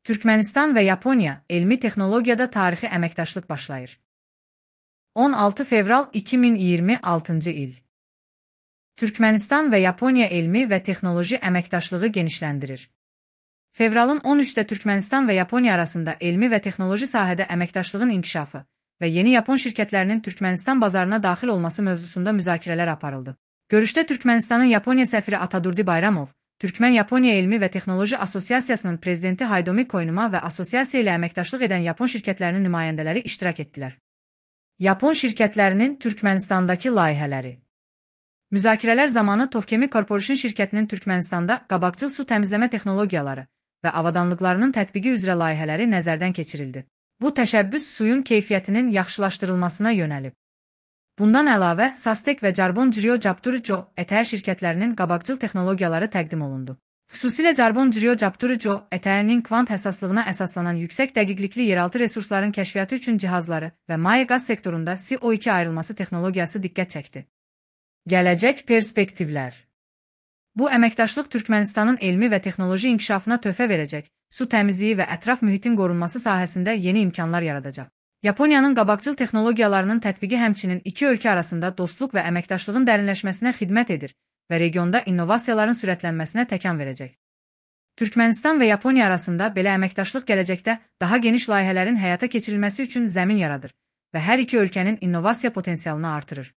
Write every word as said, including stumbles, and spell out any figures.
Türkmenistan və Yaponiya elmi texnologiyada tarixi əməkdaşlıq başlayır. on altı fevral iki min iyirmi altıncı il. Türkmenistan və Yaponiya elmi və texnoloji əməkdaşlığı genişləndirir. Fevralın on üçdə Türkmenistan və Yaponiya arasında elmi və texnoloji sahədə əməkdaşlığın inkişafı və yeni Yapon şirkətlərinin Türkmenistan bazarına daxil olması mövzusunda müzakirələr aparıldı. Görüşdə Türkmenistanın Yaponiya səfiri Atadurdi Bayramov, Türkmen-Yaponiya Elmi və Texnoloji Asosiasiyasının prezidenti Haydomi Koynuma və asosiasiya ilə əməkdaşlıq edən Yapon şirkətlərinin nümayəndələri iştirak etdilər. Yapon şirkətlərinin Türkmenistandakı layihələri. Müzakirələr zamanı Tovkemi Corporation şirkətinin Türkmenistanda qabaqcıl su təmizləmə texnologiyaları və avadanlıqlarının tətbiqi üzrə layihələri nəzərdən keçirildi. Bu təşəbbüs suyun keyfiyyətinin yaxşılaşdırılmasına yönəlib. Bundan əlavə, Sastek və Carbon Crio Capturico ətər şirkətlərinin qabaqcıl texnologiyaları təqdim olundu. Xüsusilə Carbon Crio Capturico ətərinin kvant həssaslığına əsaslanan yüksək dəqiqlikli yeraltı resursların kəşfiyyatı üçün cihazları və maye qaz sektorunda C O iki ayrılması texnologiyası diqqət çəkdi. Gələcək perspektivlər. Bu əməkdaşlıq Türkmenistanın elmi və texnoloji inkişafına töhfə verəcək, su təmizliyi və ətraf mühitin qorunması sahəsində yeni imkanlar yaradacaq. Yaponiyanın qabaqcıl texnologiyalarının tətbiqi həmçinin iki ölkə arasında dostluq və əməkdaşlığın dərinləşməsinə xidmət edir və regionda innovasiyaların sürətlənməsinə təkan verəcək. Türkmenistan və Yaponiya arasında belə əməkdaşlıq gələcəkdə daha geniş layihələrin həyata keçirilməsi üçün zəmin yaradır və hər iki ölkənin innovasiya potensialını artırır.